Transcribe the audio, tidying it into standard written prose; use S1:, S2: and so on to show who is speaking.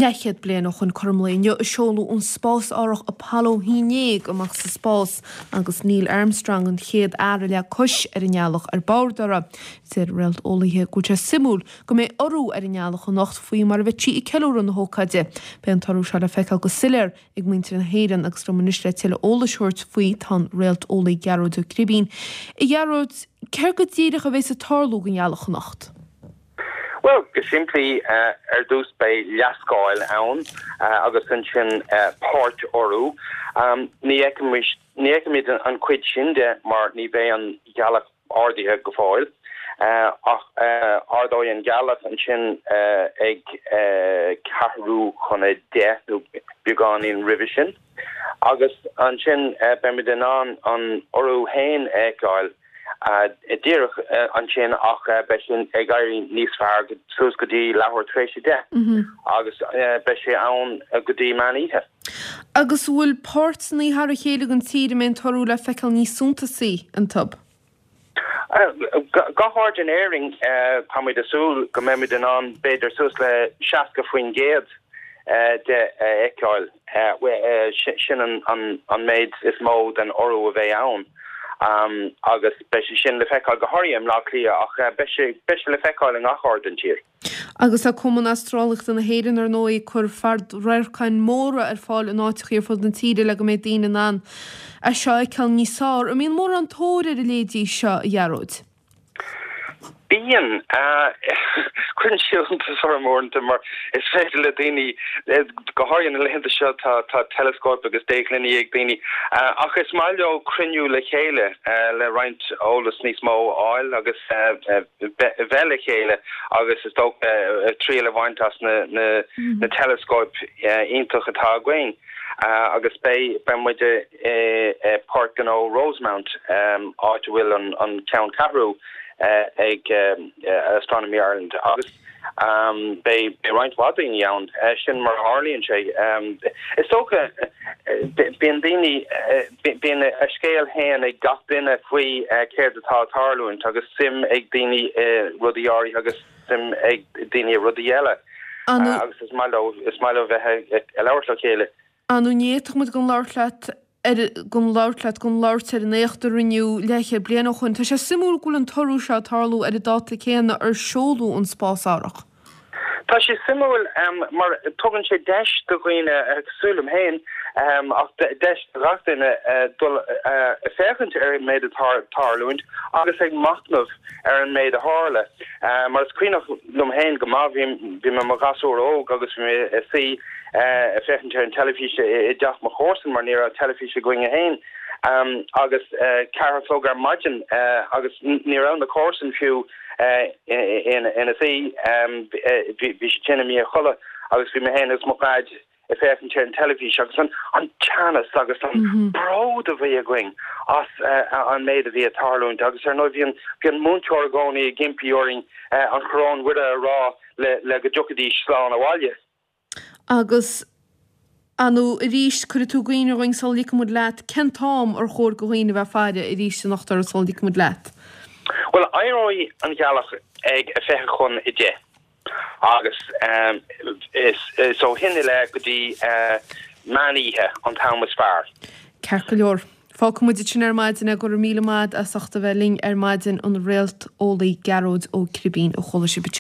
S1: Leathchéad bliain ó shoin cothrom lae inniu a seoladh an spásárthach Apollo 11 amach sa spás agus Neil Armstrong an chéad fhear a leag cois ar an ngealach ar bord uirthi. Deir réalteolaithe go bhfuil sé suimiúil go mbeidh urú ar an ngealach anocht faoi mar a bheidh sí ag ceiliúradh na hócáide. Beidh an t-urú seo le feiceáil go soiléir ag muintir na hÉireann agus liom anois le tuilleadh eolais a thabhairt faoi tá an réalteolaí Gearóid Ó Gribín. A Ghearóid, céard go díreach a bheas ag tarlú don ghealach anocht?
S2: Bhuel, go simplí, ar dtús beidh leathscáil ann agus ansin páirt-urú. Ní fheicfimid an chuid sin de mar ní bheidh an ghealach ardaithe go fóill. Ach ardóidh an ghealach ansin ag ceathrú chun 10 nó beagáinín roimhe sin. Agus ansin beimid in ann an urú féin a fheiceáil. Díreach ansin ach beidh sé ag éirí níos fearr suas go dtí leathuair tar éis 10 agus beidh sé ann go dtí meán oíche.
S1: Agus an bhfuil páirteanna thar a chéile den tír a mbeidh an t-urú le feiceáil níos suntasaí iontu?
S2: Gach aird in Éirinn táimid ag súil go mbeimid in ann b'fhéidir suas le 60% de a fheiceáil. Sin an méid is mó den urú a bheidh ann agus beidh sé sin le feiceáil go háirithe i mBleá Cliath ach beidh sé beidh sé le feiceáil i ngach aird den tír.
S1: Agus tá Cumann Astralaíochta na hÉireann ar ndóigh ag cur radharcáin mhóra ar fáil in áiteachaí ar fud na tíre le go mbeidh daoine in ann é seo a fheiceáil níos fearr. An mbíonn mórán tóir ar a leithéidí seo, a Ghearóid?
S2: Bíonn. Cuireann sé iontas orm uaireanta mar is féidir le daoine, go háirithe na laethanta seo, tá teileascóip agus déghloiní ag daoine, ach is maith leo cruinniú le chéile le roinnt eolas níos mó a fháil agus bheith le chéile agus is dócha triail a bhaint as na teileascóip iontach atá againn agus beidh muid i i Páirc Ghnó Rosemount, áit a bhfuil an ceanncheathrú ag Astronomy Ireland agus beidh roinnt mhaith daoine ann. Sin mar a tharlaíonn sé. Is dócha, bíonn daoine, bíonn a scéal féin ag gach duine faoi céard atá ag tarlúint agus suim ag daoine i rudaí áirithe agus suim ag daoine i rudaí eile agus is maith leo, is maith leo bheith ag labhairt le chéile.
S1: Ar ndóigh ní fhéadfadh muid gan labhairt leat ar gan labhairt leat gan labhairt ar an éacht a rinneadh leathchéad bliain ó shoin. Tá sé suimiúil go bhfuil an t-urú seo ag tarlú ar an dáta céanna ar seoladh an spásárthach.
S2: Tá sé suimiúil mar tugann sé deis do dhaoine cosúil liom féin ach deis do gach duine dul ag féachaint ar an méid atá ag tarlúint agus ag machnamh ar an méid a tharla. Mar is cuimhneach liom féin go maith, bhí mé i mo ghasúr óg agus bhí mé ag suí ag féachaint ar an teilifís i dteach mo chomharsan mar ní raibh teilifís againne féin agus ceathair a chlog ar maidin agus ní raibh na comharsain fiú ina suí, bhí siad sin imithe a chodladh agus bhí mé féin agus mo dhaid ag féachaint ar an teilifís agus an teannas agus an bród a bhí againn as an méid a bhí ag tarlúint agus ar ndóigh bhí an bhí an múinteoir i gcónaí ag impí orainn an Choróin Mhuire a rá le le go dtiocfaidís slán abhaile.
S1: Agus ar ndóigh arís cuirfidh tú i gcuimhne dhúinn sula ligfidh muid leat cén t-am ar chóir do dhaoine a bheith ag faire arís anocht uirthi sula ligfidh muid leat?
S2: Bhuel éireoidh an ghealach ag a 9:40. Agus is ó shin i leith go dtí meán oíche an t-am is fearr.
S1: Ceart go leor. Fágfaidh muid ansin ar maidin é. Go raibh míle maith agat as ucht a bheith linn ar maidin, an réalteolaí Gearóid Ó Cribín a chuala sibh.